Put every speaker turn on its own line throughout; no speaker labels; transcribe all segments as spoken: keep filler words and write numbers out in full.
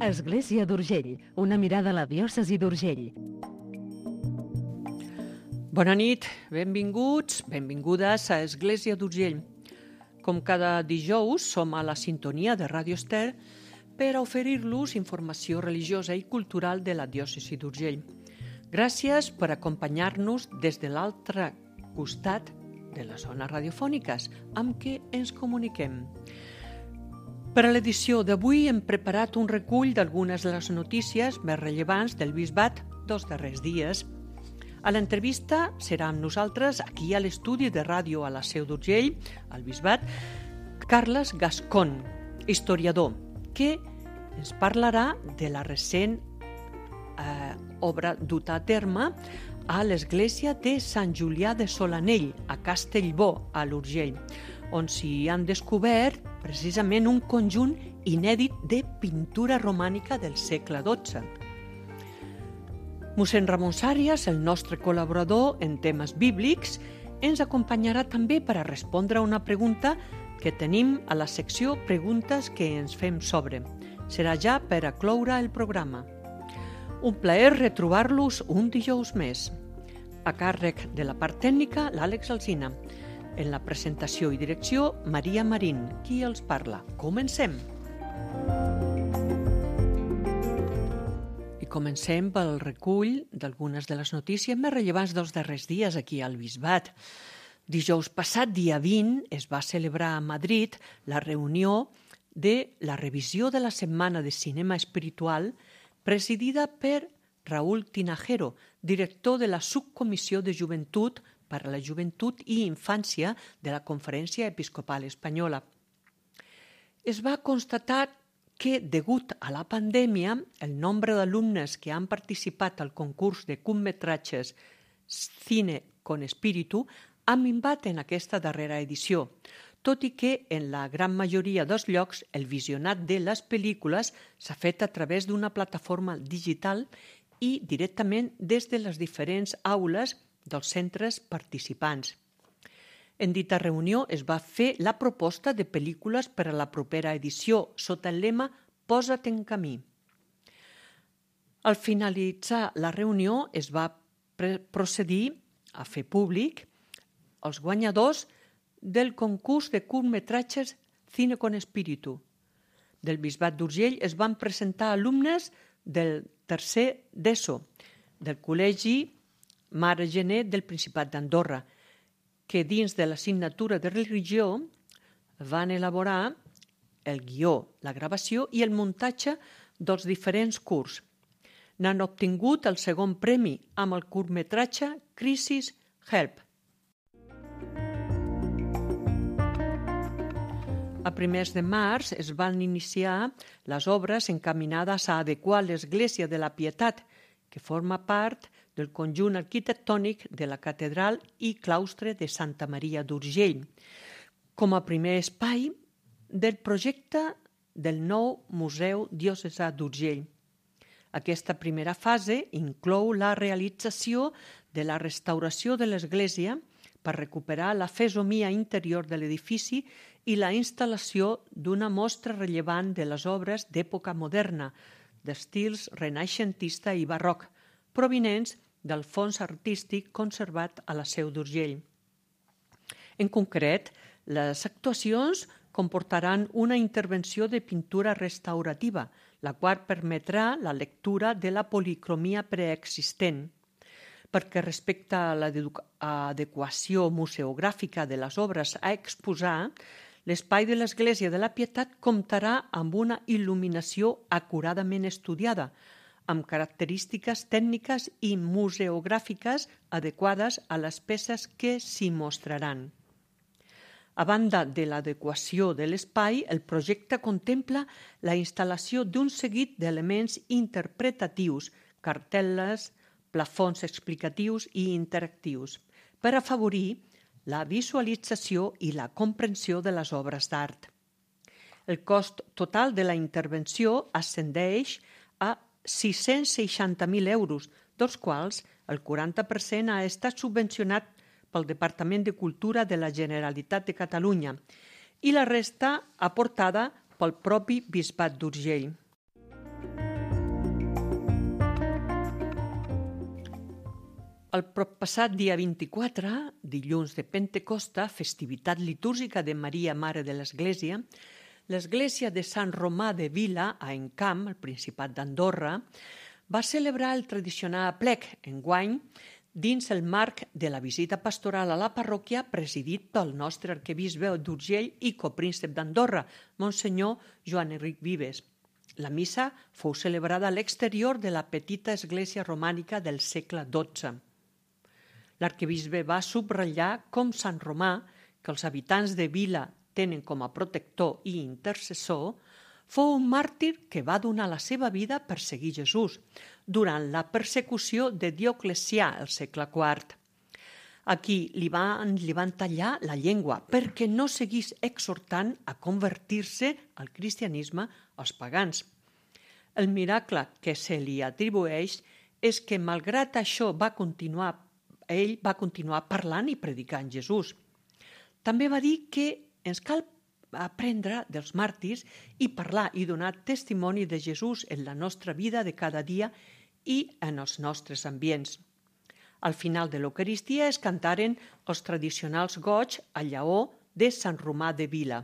Església d'Urgell, una mirada a la diòcesi d'Urgell.
Bona nit, benvinguts, benvingudes a Església d'Urgell. Com cada dijous, som a la sintonia de Ràdio Ester per a oferir-los informació religiosa i cultural de la diòcesi d'Urgell. Gràcies per acompanyar-nos des de l'altre costat de les zones radiofòniques amb què ens comuniquem. Per a l'edició d'avui hem preparat un recull d'algunes de les notícies més rellevants del bisbat dels darrers dies. A l'entrevista serà amb nosaltres, aquí a l'estudi de ràdio a la Seu d'Urgell, al bisbat, Carles Gascon, historiador, que ens parlarà de la recent eh, obra duta a terme a l'església de Sant Julià de Solanell, a Castellbò, a l'Urgell, on s'hi han descobert precisament un conjunt inèdit de pintura romànica del segle dotze. Mossèn Ramon Sàrias, el nostre col·laborador en temes bíblics, ens acompanyarà també per a respondre a una pregunta que tenim a la secció Preguntes que ens fem sobre. Serà ja per a cloure el programa. Un plaer retrobar-los un dijous més. A càrrec de la part tècnica, l'Àlex Alsina. En la presentació i direcció, Maria Marín, qui els parla. Comencem! I comencem pel recull d'algunes de les notícies més rellevants dels darrers dies aquí al bisbat. Dijous passat, dia vint, es va celebrar a Madrid la reunió de la revisió de la Setmana de Cinema Espiritual presidida per Raúl Tinajero, director de la Subcomissió de Joventut per a la Joventut i Infància de la Conferència Episcopal Espanyola. Es va constatar que, degut a la pandèmia, el nombre d'alumnes que han participat al concurs de curtmetratges Cine con Espíritu ha minvat en aquesta darrera edició, tot i que en la gran majoria dels llocs el visionat de les pel·lícules s'ha fet a través d'una plataforma digital i directament des de les diferents aules dels centres participants. En dita reunió es va fer la proposta de pel·lícules per a la propera edició sota el lema Posa't en camí. Al finalitzar la reunió es va procedir a fer públic els guanyadors del concurs de curtmetratges Cine con Espíritu. Del bisbat d'Urgell es van presentar alumnes del tercer d'ESO, del col·legi Mare Gené del Principat d'Andorra, que dins de l'assignatura de religió van elaborar el guió, la gravació i el muntatge dels diferents curts. N'han obtingut el segon premi amb el curtmetratge Crisis Help. A primers de març es van iniciar les obres encaminades a adequar l'Església de la Pietat, que forma part del conjunt arquitectònic de la catedral i claustre de Santa Maria d'Urgell, com a primer espai del projecte del nou Museu Diocesà d'Urgell. Aquesta primera fase inclou la realització de la restauració de l'església per recuperar la fesomia interior de l'edifici i la instal·lació d'una mostra rellevant de les obres d'època moderna, d'estils renaixentista i barroc, provinents del fons artístic conservat a la Seu d'Urgell. En concret, les actuacions comportaran una intervenció de pintura restaurativa, la qual permetrà la lectura de la policromia preexistent. Perquè respecte a l'adequació museogràfica de les obres a exposar, l'espai de l'Església de la Pietat comptarà amb una il·luminació acuradament estudiada, amb característiques tècniques i museogràfiques adequades a les peces que s'hi mostraran. A banda de l'adequació de l'espai, el projecte contempla la instal·lació d'un seguit d'elements interpretatius, cartel·les, plafons explicatius i interactius, per afavorir la visualització i la comprensió de les obres d'art. El cost total de la intervenció ascendeix a sis-cents seixanta mil euros, dels quals el quaranta per cent ha estat subvencionat pel Departament de Cultura de la Generalitat de Catalunya i la resta aportada pel propi Bisbat d'Urgell. El proppassat dia vint-i-quatre, dilluns de Pentecosta, festivitat litúrgica de Maria, Mare de l'Església, l'Església de Sant Romà de Vila, a Encamp, al Principat d'Andorra, va celebrar el tradicional aplec, enguany, dins el marc de la visita pastoral a la parròquia presidit pel nostre arquebisbe d'Urgell i copríncep d'Andorra, Monsenyor Joan Enric Vives. La missa fou celebrada a l'exterior de la petita església romànica del segle dotze. L'arquebisbe va subratllar com Sant Romà, que els habitants de Vila tenen com a protector i intercessor, fou un màrtir que va donar la seva vida per seguir Jesús durant la persecució de Dioclecià el segle quart. Aquí li van, li van tallar la llengua perquè no seguís exhortant a convertir-se al cristianisme als pagans. El miracle que se li atribueix és que, malgrat això, va continuar, ell va continuar parlant i predicant Jesús. També va dir que ens cal aprendre dels màrtirs i parlar i donar testimoni de Jesús en la nostra vida de cada dia i en els nostres ambients. Al final de l'Eucaristia es cantaren els tradicionals goigs a llaor de Sant Romà de Vila.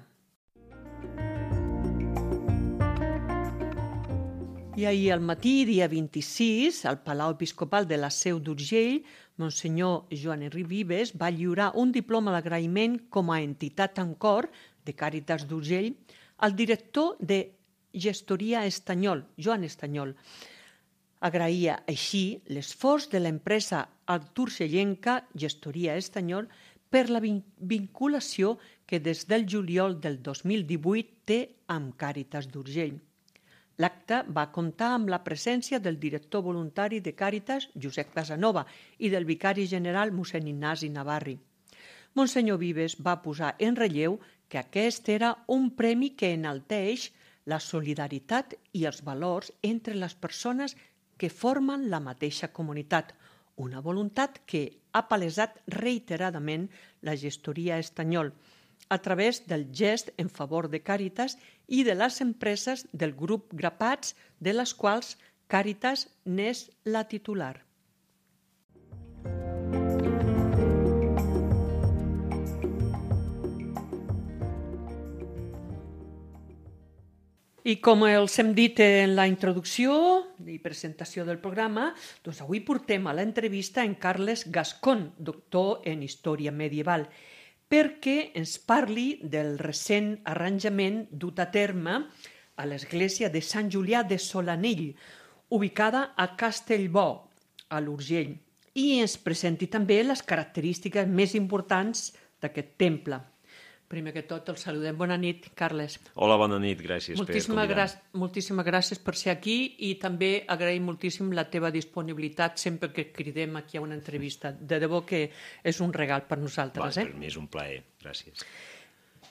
I ahir al matí, dia vint-i-sis, al Palau Episcopal de la Seu d'Urgell, Monsenyor Joan Enric Vives va lliurar un diploma d'agraïment com a entitat en cor de Càritas d'Urgell al director de Gestoria Estanyol, Joan Estanyol. Agraïa així l'esforç de l'empresa arturcellenca Gestoria Estanyol per la vinculació que des del juliol del dos mil divuit té amb Càritas d'Urgell. L'acte va comptar amb la presència del director voluntari de Càritas, Josep Casanova, i del vicari general, mossèn Ignasi Navarri. Monsenyor Vives va posar en relleu que aquest era un premi que enalteix la solidaritat i els valors entre les persones que formen la mateixa comunitat, una voluntat que ha palesat reiteradament la Gestoria Estanyol, a través del gest en favor de Càritas i de les empreses del grup Grapats, de les quals Càritas n'és la titular. I com els hem dit en la introducció i presentació del programa, doncs avui portem a l'entrevista en Carles Gascón, doctor en Història Medieval, perquè ens parli del recent arranjament dut a terme a l'església de Sant Julià de Solanell, ubicada a Castellbò, a l'Urgell, i ens presenti també les característiques més importants d'aquest temple. Primer que tot, el saludem. Bona nit, Carles.
Hola, bona nit, gràcies
moltíssimes
per convidar.
Gràcies, moltíssimes gràcies per ser aquí i també agraïm moltíssim la teva disponibilitat sempre que cridem aquí a una entrevista. De debò que és un regal per nosaltres.
Va,
eh?
Per mi és un plaer, gràcies.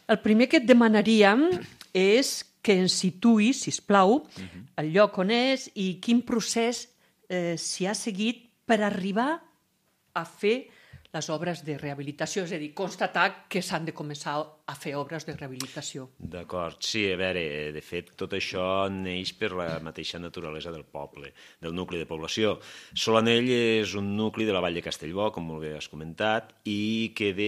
El primer que et demanaríem és que ens situïs, sisplau, uh-huh. el lloc on és i quin procés eh, s'hi ha seguit per arribar a fer les obres de rehabilitació, és a dir, constatar que s'han de començar a fer obres de rehabilitació.
D'acord, sí, a veure, de fet, tot això neix per la mateixa naturalesa del poble, del nucli de població. Solanell és un nucli de la vall de Castellbò, com molt bé has comentat, i que de,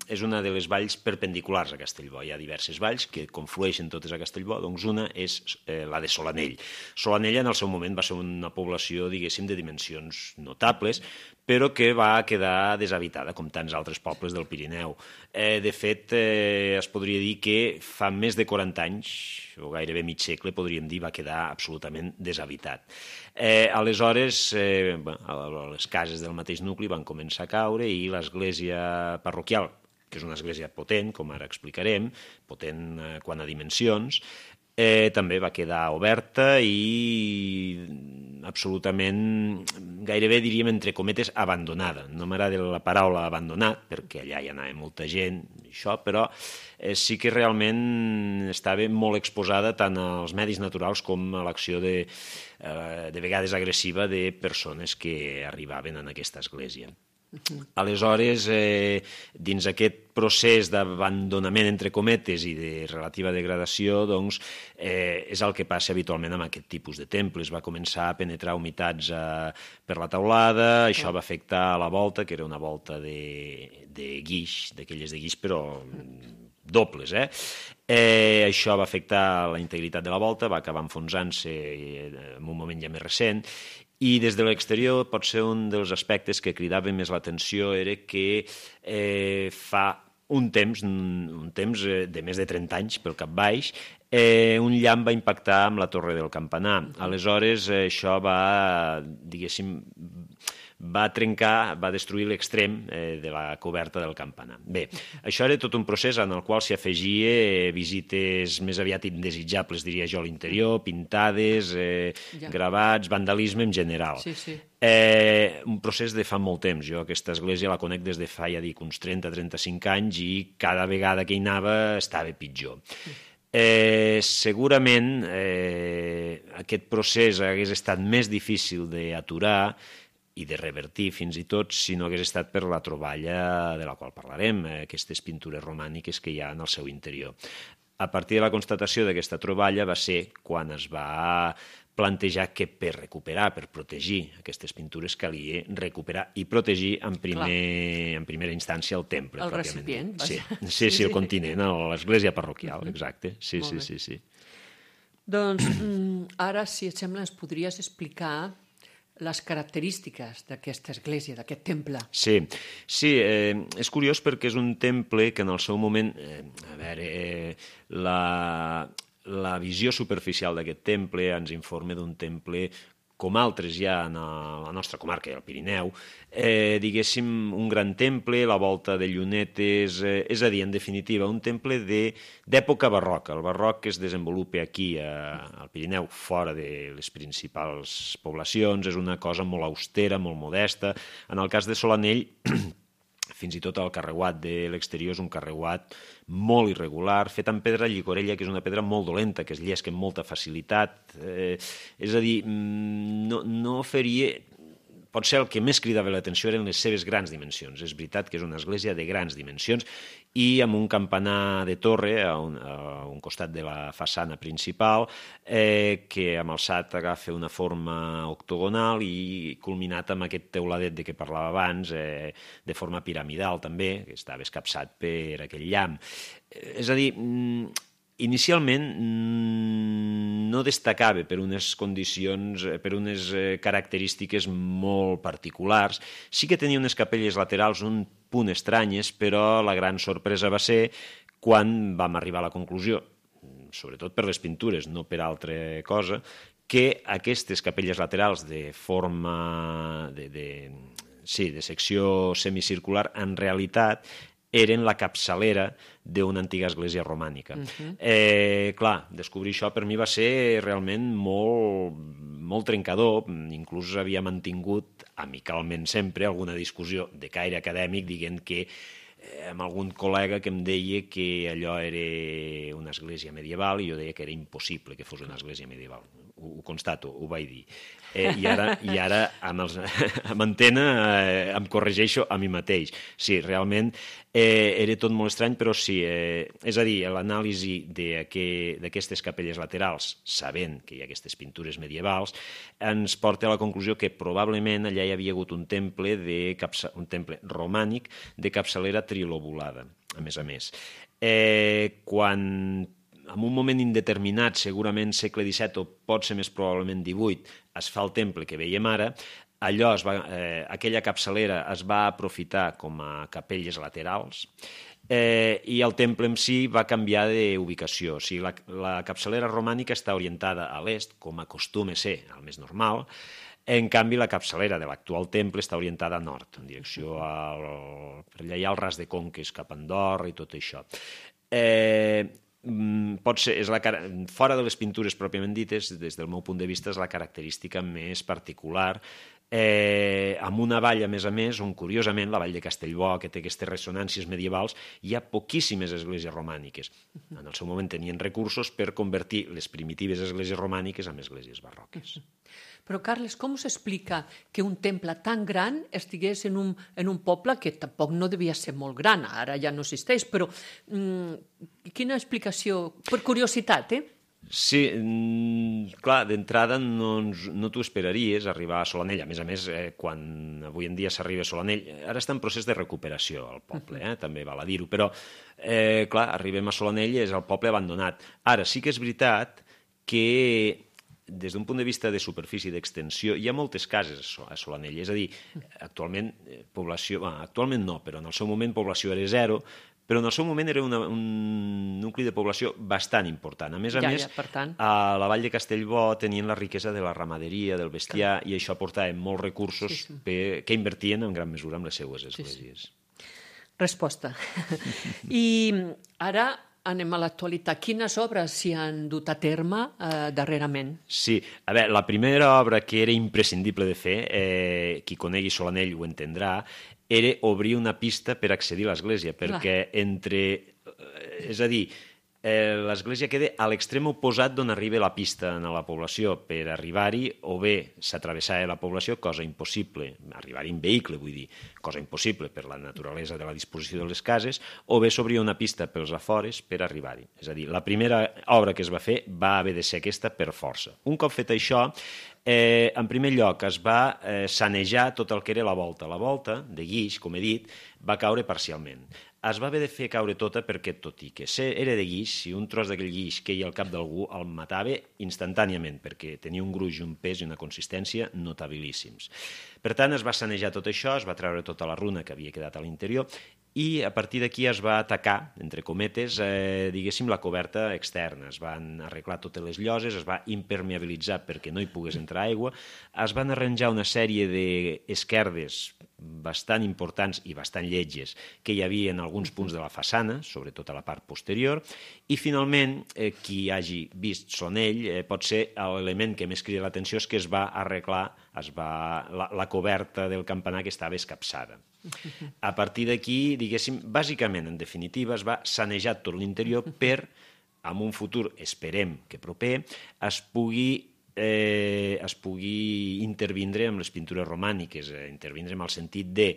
és una de les valls perpendiculars a Castellbò. Hi ha diverses valls que conflueixen totes a Castellbò, doncs una és eh, la de Solanell. Solanell en el seu moment va ser una població, diguéssim, de dimensions notables, però que va quedar deshabitada, com tants altres pobles del Pirineu. Eh, de fet, eh, es podria dir que fa més de quaranta anys, o gairebé mig segle, podríem dir, va quedar absolutament deshabitat. Eh, aleshores, eh, bueno, les cases del mateix nucli van començar a caure i l'església parroquial, que és una església potent, com ara explicarem, potent eh, quant a dimensions, Eh, també va quedar oberta i absolutament, gairebé diríem entre cometes, abandonada. No m'agrada la paraula abandonat, perquè allà hi anava molta gent, això, però eh, sí que realment estava molt exposada tant als medis naturals com a l'acció de, eh, de vegades agressiva de persones que arribaven en aquesta església. Aleshores, eh, dins aquest procés d'abandonament, entre cometes, i de relativa degradació, doncs, eh, és el que passa habitualment amb aquest tipus de temples. Va començar a penetrar humitats eh, per la teulada, això va afectar la volta, que era una volta de, de guix, d'aquelles de guix, però dobles, eh? eh? Això va afectar la integritat de la volta, va acabar enfonsant-se en un moment ja més recent, i des de l'exterior potser un dels aspectes que cridava més l'atenció era que eh, fa un temps, un temps de més de trenta anys pel cap baix, eh, un llamp va impactar amb la torre del campanar. Aleshores, eh, això va, diguéssim, va trencar, va destruir l'extrem eh, de la coberta del campanar. Bé, això era tot un procés en el qual s'hi afegia eh, visites més aviat indesitjables, diria jo, a l'interior, pintades, eh, ja. gravats, vandalisme en general.
Sí, sí.
Eh, un procés de fa molt temps. Jo aquesta església la conec des de fa, ja dic, uns trenta a trenta-cinc anys i cada vegada que hi anava estava pitjor. Eh, segurament eh, aquest procés hagués estat més difícil d'aturar i de revertir fins i tot si no hagués estat per la troballa de la qual parlarem, eh, aquestes pintures romàniques que hi ha en el seu interior. A partir de la constatació d'aquesta troballa va ser quan es va plantejar que per recuperar, per protegir aquestes pintures calia recuperar i protegir en, primer, en primera instància el temple.
El recipient.
Sí, sí, sí, el continent, l'església parroquial, exacte. Sí, sí, sí, sí.
Doncs ara, si et sembla, ens podries explicar les característiques d'aquesta església, d'aquest temple.
Sí, sí eh, és curiós perquè és un temple que en el seu moment, eh, a veure, eh, la, la visió superficial d'aquest temple ens informa d'un temple com altres ja en la nostra comarca, el Pirineu, eh, diguéssim, un gran temple, la volta de llunetes, eh, és a dir, en definitiva, un temple d'època barroca. El barroc que es desenvolupa aquí a, al Pirineu, fora de les principals poblacions, és una cosa molt austera, molt modesta. En el cas de Solanell, fins i tot el carreuat de l'exterior és un carreuat molt irregular, fet amb pedra llicorella, que és una pedra molt dolenta, que es llesca amb molta facilitat. Eh, és a dir, no, no oferia... Potser el que més cridava l'atenció eren les seves grans dimensions. És veritat que és una església de grans dimensions i amb un campanar de torre a un, a un costat de la façana principal eh, que amb alçat agafa una forma octogonal i culminat amb aquest teuladet de què parlava abans, eh, de forma piramidal també, que estava escapçat per aquell llamp. És a dir, inicialment no destacava per unes condicions, per unes característiques molt particulars. Sí que tenia unes capelles laterals un punt estranyes, però la gran sorpresa va ser quan vam arribar a la conclusió, sobretot per les pintures, no per altra cosa, que aquestes capelles laterals de forma de, de, sí, de secció semicircular en realitat eren la capçalera d'una antiga església romànica. Uh-huh. eh, clar, descobrir això per mi va ser realment molt, molt trencador, inclús havia mantingut amicalment sempre alguna discussió de caire acadèmic dient que eh, amb algun col·lega que em deia que allò era una església medieval i jo deia que era impossible que fos una església medieval. Ho, ho constato, ho vaig dir. Eh, I ara, i ara amb, els, amb antena eh, em corregeixo a mi mateix. Sí, realment eh, era tot molt estrany, però sí, eh, és a dir, l'anàlisi d'aquestes capelles laterals, sabent que hi ha aquestes pintures medievals, ens porta a la conclusió que probablement allà hi havia hagut un temple, de capça, un temple romànic de capçalera trilobulada, a més a més. Eh, quan en un moment indeterminat, segurament segle disset o pot ser més probablement divuit, es fa el temple que veiem ara, allò es va, eh, aquella capçalera es va aprofitar com a capelles laterals eh, i el temple en si va canviar d'ubicació. O sigui, la, la capçalera romànica està orientada a l'est, com acostuma a ser el més normal. En canvi, la capçalera de l'actual temple està orientada a nord, en direcció al... per allà hi ha el ras de Conques, cap a Andorra i tot això. Eh... pot ser, és la, fora de les pintures pròpiament dites, des del meu punt de vista és la característica més particular eh, amb una vall, a més a més, on, curiosament, la vall de Castellbò, que té aquestes ressonàncies medievals, hi ha poquíssimes esglésies romàniques. En el seu moment tenien recursos per convertir les primitives esglésies romàniques en esglésies barroques.
Però, Carles, com s'explica que un temple tan gran estigués en un, en un poble que tampoc no devia ser molt gran, ara ja no existeix, però mm, quina explicació? Per curiositat, eh?
Sí, clar, d'entrada no, no t'ho esperaries arribar a Solanell. A més a més, eh, quan avui en dia s'arriba a Solanell, ara està en procés de recuperació el poble, eh, també val a dir-ho, però eh, clar, arribem a Solanell i és el poble abandonat. Ara, sí que és veritat que des d'un punt de vista de superfície i d'extensió, hi ha moltes cases a Solanell, és a dir, actualment població, bueno, actualment no, però en el seu moment població era zero, però en el seu moment era una, un nucli de població bastant important. A més a
ja,
més,
ja, per tant.
a la vall de Castellbò tenien la riquesa de la ramaderia, del bestiar, i això portava molts recursos sí, sí. Per, que invertien en gran mesura en les seues esglésies.
Sí, sí. Resposta. I ara anem a l'actualitat. Quines obres s'hi han dut a terme eh, darrerament?
Sí, a veure, la primera obra que era imprescindible de fer, eh, qui conegui Solanell ho entendrà, era obrir una pista per accedir a l'església, perquè entre... És a dir, eh, l'església queda a l'extrem oposat d'on arriba la pista a la població. Per arribar-hi, o bé s'atravessava la població, cosa impossible, arribar-hi en vehicle, vull dir, cosa impossible per la naturalesa de la disposició de les cases, o bé s'obria una pista pels afores per arribar-hi. És a dir, la primera obra que es va fer va haver de ser aquesta per força. Un cop fet això, Eh, en primer lloc es va eh, sanejar tot el que era la volta. La volta, de guix, com he dit, va caure parcialment. Es va haver de fer caure tota perquè, tot i que era de guix, si un tros d'aquell guix queia al cap d'algú, el matava instantàniament, perquè tenia un gruix, un pes i una consistència notabilíssims. Per tant, es va sanejar tot això, es va treure tota la runa que havia quedat a l'interior i a partir d'aquí es va atacar, entre cometes, eh, diguéssim, la coberta externa. Es van arreglar totes les lloses, es va impermeabilitzar perquè no hi pogués entrar aigua, es van arranjar una sèrie d'esquerdes bastant importants i bastant lletges que hi havia en alguns punts de la façana, sobretot a la part posterior, i finalment, eh, qui hagi vist Solanell, eh, pot ser l'element que més crida l'atenció és que es va arreglar es va, la, la coberta del campanar que estava escapçada. A partir d'aquí, diguéssim, bàsicament, en definitiva, es va sanejar tot l'interior per, en un futur, esperem que proper, es pugui Eh, es pugui intervindre amb les pintures romàniques, eh, intervindre en el sentit de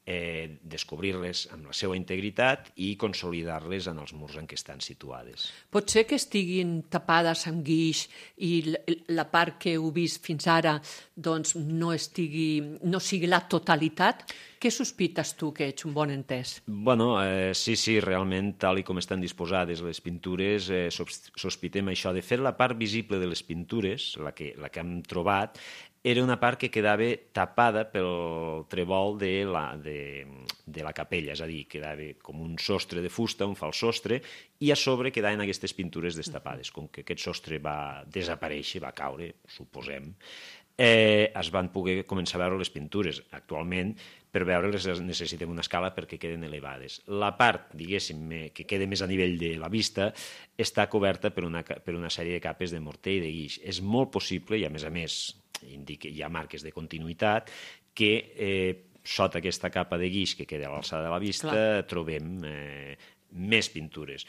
eh, descobrir-les amb la seva integritat i consolidar-les en els murs en què estan situades.
Pot ser que estiguin tapades amb guix i la part que heu vist fins ara doncs, no, estigui, no sigui la totalitat? Què sospites tu, que ets un bon entès?
Bueno, eh, sí, sí, realment, tal i com estan disposades les pintures, eh, sospitem això. De fet, la part visible de les pintures, la que, la que hem trobat, era una part que quedava tapada pel trèvol de la, de, de la capella, és a dir, quedava com un sostre de fusta, un fals sostre, i a sobre quedaven aquestes pintures destapades. Com que aquest sostre va desaparèixer, va caure, suposem, eh, es van poder començar a veure les pintures. Actualment, per veure-les necessitem una escala perquè queden elevades. La part, diguéssim, que queda més a nivell de la vista, està coberta per una, per una sèrie de capes de morter i de guix. És molt possible, i a més a més indica, hi ha marques de continuïtat, que eh, sota aquesta capa de guix que queda a l'alçada de la vista Clar. trobem eh, més pintures.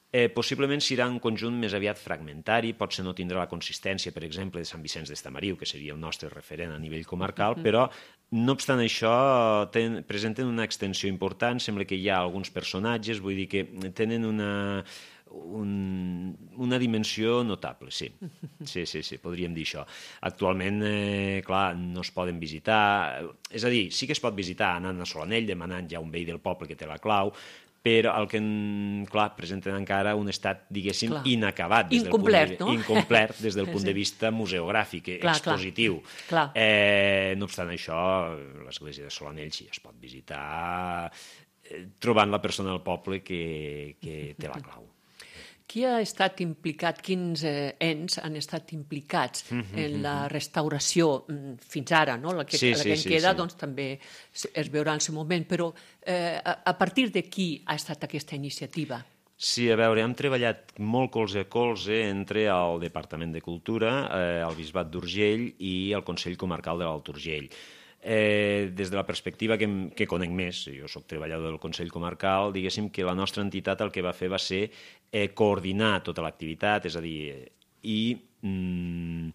Eh, possiblement serà un conjunt més aviat fragmentari, potser no tindrà la consistència, per exemple, de Sant Vicenç d'Estamariu, que seria el nostre referent a nivell comarcal, mm-hmm. però, no obstant això, ten, presenten una extensió important, sembla que hi ha alguns personatges, vull dir que tenen una, un, una dimensió notable, sí. Sí, sí, sí, podríem dir això. Actualment, eh, clar, no es poden visitar, és a dir, sí que es pot visitar anant a Solanell, demanant ja un veí del poble que té la clau, però el que, clar, presenten encara un estat, diguéssim, clar. inacabat. Des
incomplet,
del punt de,
no?
Incomplet des del punt sí. de vista museogràfic, clar, expositiu.
Clar.
Eh, no obstant això, l'església de Solanell sí es pot visitar eh, trobant la persona del poble que, que té la clau.
Qui ha estat implicat, quins eh, ens han estat implicats mm-hmm. en la restauració mm, fins ara, no? La que,
sí,
la
sí,
que en
sí,
queda,
sí.
doncs també es veurà en el seu moment, però eh, a, a partir de qui ha estat aquesta iniciativa?
Sí, a veure, hem treballat molt colze a colze entre el Departament de Cultura, eh, el Bisbat d'Urgell i el Consell Comarcal de l'Alt Urgell. Eh, des de la perspectiva que, que conec més, jo soc treballador del Consell Comarcal, diguéssim que la nostra entitat el que va fer va ser eh, coordinar tota l'activitat, és a dir, i mm,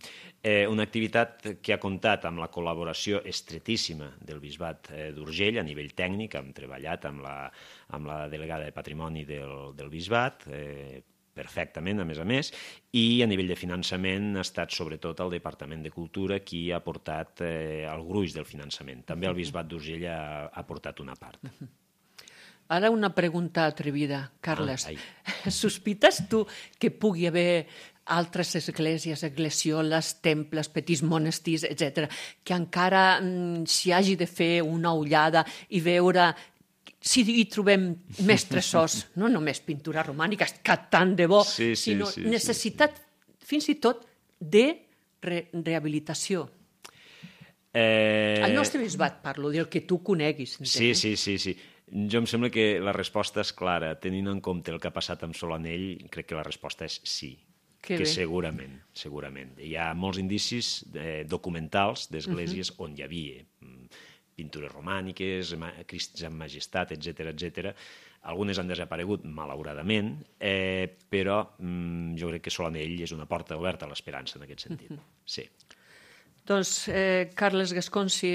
eh, una activitat que ha comptat amb la col·laboració estretíssima del Bisbat eh, d'Urgell a nivell tècnic, hem treballat amb la, amb la delegada de Patrimoni del, del Bisbat, eh, perfectament, a més a més, i a nivell de finançament ha estat sobretot el Departament de Cultura qui ha portat eh, el gruix del finançament. També el Bisbat d'Urgell ha, ha portat una part.
Ara una pregunta atrevida, Carles.
Ah,
Sospites tu que pugui haver altres esglésies, esglesioles, temples, petits monestirs, etcètera, que encara mm, s'hi hagi de fer una ullada i veure si hi trobem més tresors, no només pintura romànica, que tant de bo,
sí, sí,
sinó
sí,
necessitat sí, sí. fins i tot de re rehabilitació.
Eh...
El nostre bisbat, parlo, del que tu coneguis.
Sí, sí, sí, sí. Jo em sembla que la resposta és clara. Tenint en compte el que ha passat amb Solanell, crec que la resposta és sí.
Que,
que
bé.
segurament, segurament. Hi ha molts indicis eh, documentals d'esglésies uh-huh. on hi havia pintures romàniques, Crists en Majestat, etcètera, etcètera. Algunes han desaparegut, malauradament, eh, però mm, jo crec que Solanell és una porta oberta a l'esperança en aquest sentit. Uh-huh. Sí.
Doncs, eh, Carles Gasconsi,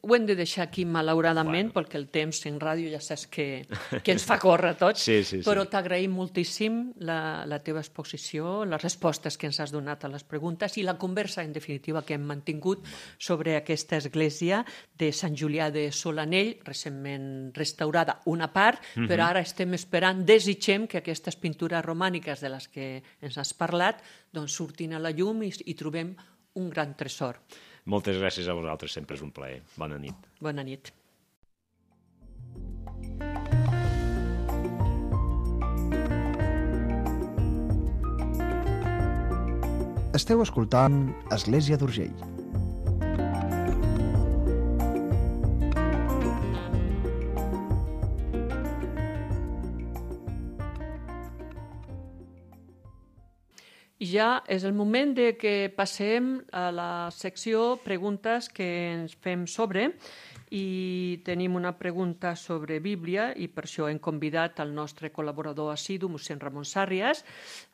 ho hem de deixar aquí, malauradament, bueno. perquè el temps en ràdio ja saps que, que ens fa córrer tots,
sí, sí, sí.
però t'agraïm moltíssim la, la teva exposició, les respostes que ens has donat a les preguntes i la conversa, en definitiva, que hem mantingut sobre aquesta església de Sant Julià de Solanell, recentment restaurada una part, uh-huh. però ara estem esperant, desitgem que aquestes pintures romàniques de les que ens has parlat doncs surtin a la llum i, i trobem un gran tresor.
Moltes gràcies a vosaltres, sempre és un plaer. Bona nit.
Bona nit.
Esteu escoltant Església d'Urgell.
I ja és el moment de que passem a la secció preguntes que ens fem sobre i tenim una pregunta sobre Bíblia i per això hem convidat el nostre col·laborador assidu, mossèn Ramon Sàrries.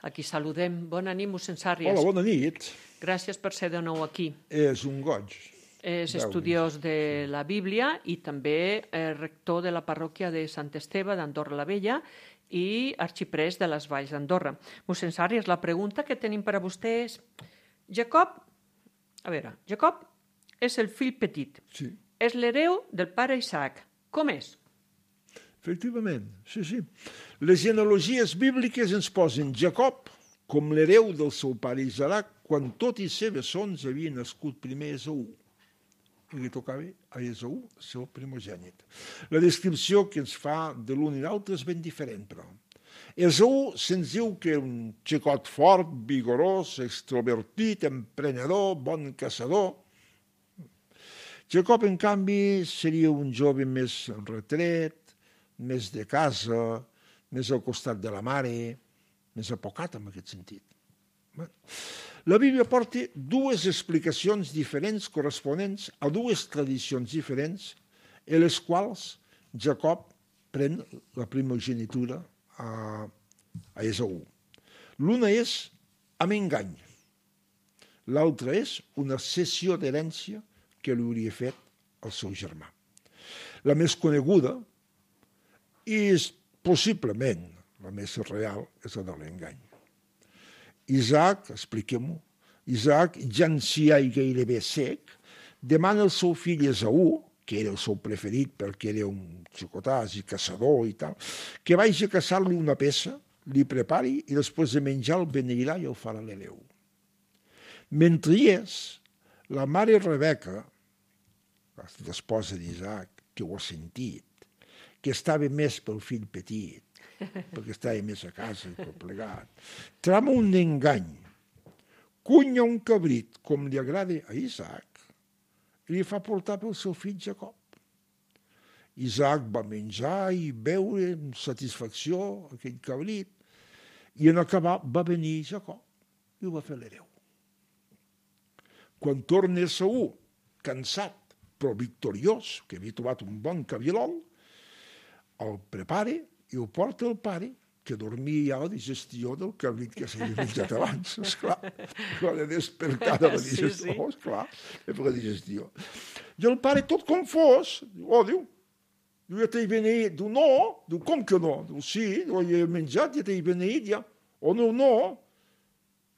Aquí saludem. Bona nit, mossèn Sàrries.
Hola, bona nit.
Gràcies per ser de nou aquí.
És un goig.
És estudiós de la Bíblia i també rector de la parròquia de Sant Esteve d'Andorra la Vella i arxiprés de les Valls d'Andorra. Mossèn Sàrries, la pregunta que tenim per a vostè és: Jacob, a veure, Jacob és el fill petit,
sí.
És l'hereu del pare Isaac. Com és?
Efectivament, sí, sí. Les genealogies bíbliques ens posen Jacob com l'hereu del seu pare Isaac quan tots els seus sons havien nascut primer Esaú. I li tocava a Esaú, el seu primogènit. La descripció que ens fa de l'un i l'altre és ben diferent, però. Esaú se'ns diu que un xicot fort, vigorós, extrovertit, emprenedor, bon caçador. Jacob, en canvi, seria un jove més retret, més de casa, més al costat de la mare, més apocat en aquest sentit. La Bíblia porta dues explicacions diferents corresponents a dues tradicions diferents en les quals Jacob pren la primogenitura a, a Esaú. L'una és amb engany, l'altra és una cessió d'herència que li hauria fet el seu germà. La més coneguda i possiblement la més real és la de l'engany. Isaac, expliquem-ho, Isaac, ja ancià i gairebé sec, demana al seu fill Esaú, que era el seu preferit perquè era un xicotàs i caçador i tal, que vagi a caçar-li una peça, li prepari i després de menjar el beneirà i el farà l'hereu. Mentre hi és, la mare Rebeca, l'esposa d'Isaac, que ho ha sentit, que estava més pel fill petit, perquè estava més a casa i tot plegat, trama un engany, cunya un cabrit, com li agrada a Isaac, i li fa portar pel seu fill Jacob. Isaac va menjar i beure amb satisfacció aquell cabrit, i en acabar va venir Jacob i ho va fer l'hereu. Quan torna Esaú, cansat però victoriós, que havia trobat un bon cabirol, el prepara i ho porta al pare, que dormia ja a la digestió del cabrit que s'havia menjat abans, esclar. Quan he despertat a la digestió, sí, sí. esclar, és per la digestió. I el pare, tot confós, diu, oh, diu, jo ja t'he beneït. Diu, no. Diu, com que no? Diu, sí, jo ja he menjat, ja t'he beneït, ja. O no, no.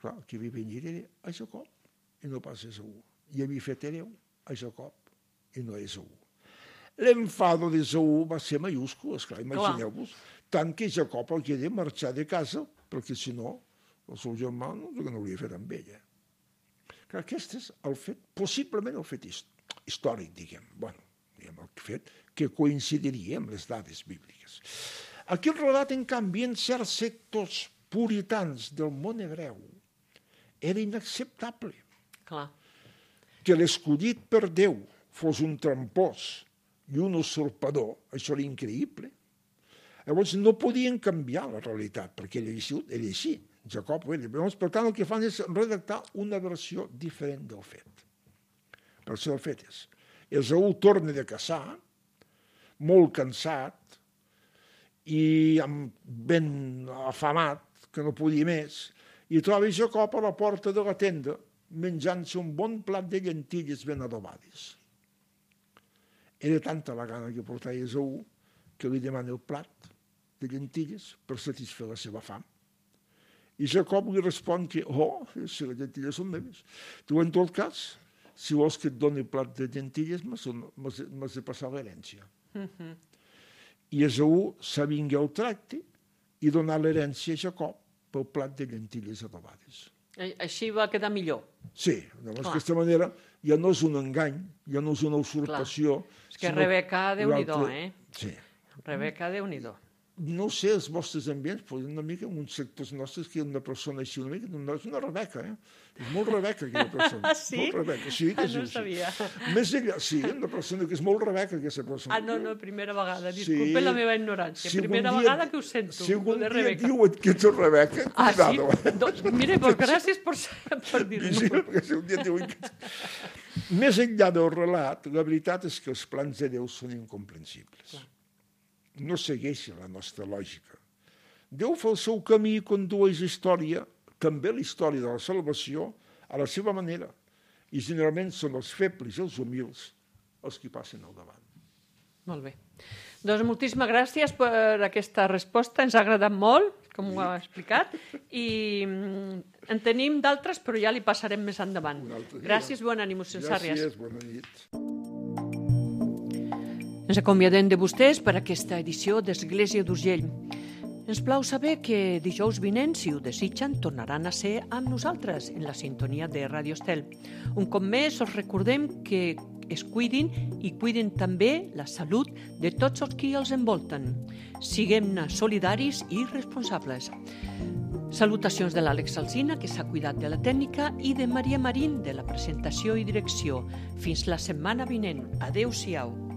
Clar, el que havia beneït era a Jacob, i no pas a Esaú. I havia fet hereu a Jacob, i no a Esaú. L'enfado d'Esaú va ser majúscul, esclar, imagineu-vos, tant que Jacob el queda marxar de casa, perquè si no, el seu germà no, no hauria fet amb ella. Que aquest és el fet, possiblement el fet històric, diguem, bueno, diguem el fet que coincidiria amb les dades bíbliques. Aquí el relat, en canvi, en certs sectors puritans del món hebreu, era inacceptable.
Clar.
Que l'escollit per Déu fos un trampós i un usurpador, això era increïble. Llavors no podien canviar la realitat, perquè ell era així, Jacob ho era. Llavors, per tant, el que fan és redactar una versió diferent del fet. Per això el fet és, Esaú torna de caçar, molt cansat i ben afamat, que no podia més, i troba Jacob a la porta de la tenda menjant-se un bon plat de llentilles ben adobades. Era tanta la gana que portava Esaú que li demana el plat de llentilles per satisfer la seva fam. I Jacob li respon que, oh, si les llentilles són meves. Tu, en tot cas, si vols que et doni el plat de llentilles, m'has de passar l'herència. Mm-hmm. I Esaú s'avingué el tracte i donar l'herència a Jacob pel plat de llentilles adobades.
Així va quedar millor.
Sí, d'aquesta manera ja no és un engany, ja no és una usurpació.
Clar. És que Rebeca, Déu-n'hi-do, eh?
Sí.
Rebeca, Déu-n'hi-do.
No sé, els vostres ambients, però una mica en uns sectors nostres que una persona així, una mica, no és una Rebeca, eh? És molt Rebeca, aquella persona.
Ah, sí?
Molt Rebeca, sí. Que
ah, no ho sabia.
Més enllà, sí, una persona que és molt Rebeca, aquesta persona.
Ah, no, no, primera vegada, disculpe sí. la meva ignorància. Si primera dia, vegada que ho sento,
si algun
de
dia
Rebeca.
diuen que ets Rebeca,
ah,
cuidado.
Sí? Doncs, mire, pues, gràcies per, per dir-ho.
Sí, perquè si un dia diuen que... Més enllà del relat, la veritat és que els plans de Déu són incomprensibles. Clar. No segueixen la nostra lògica. Déu fa el seu camí i condueix història, també la història de la salvació, a la seva manera. I generalment són els febles i els humils els que passen al davant.
Molt bé. Doncs moltíssimes gràcies per aquesta resposta. Ens ha agradat molt, com ho ha explicat, i en tenim d'altres, però ja li passarem més endavant. Gràcies, bon ànim, Censàries.
Gràcies, bona nit.
Ens acomiadem de vostès per aquesta edició d'Església d'Urgell. Ens plau saber que dijous vinent, si ho desitgen, tornaran a ser amb nosaltres en la sintonia de Ràdio Estel. Un cop més, us recordem que es cuidin i cuidin també la salut de tots els qui els envolten. Siguem-ne solidaris i responsables. Salutacions de l'Àlex Alsina, que s'ha cuidat de la tècnica, i de Maria Marín, de la presentació i direcció. Fins la setmana vinent. Adéu-siau.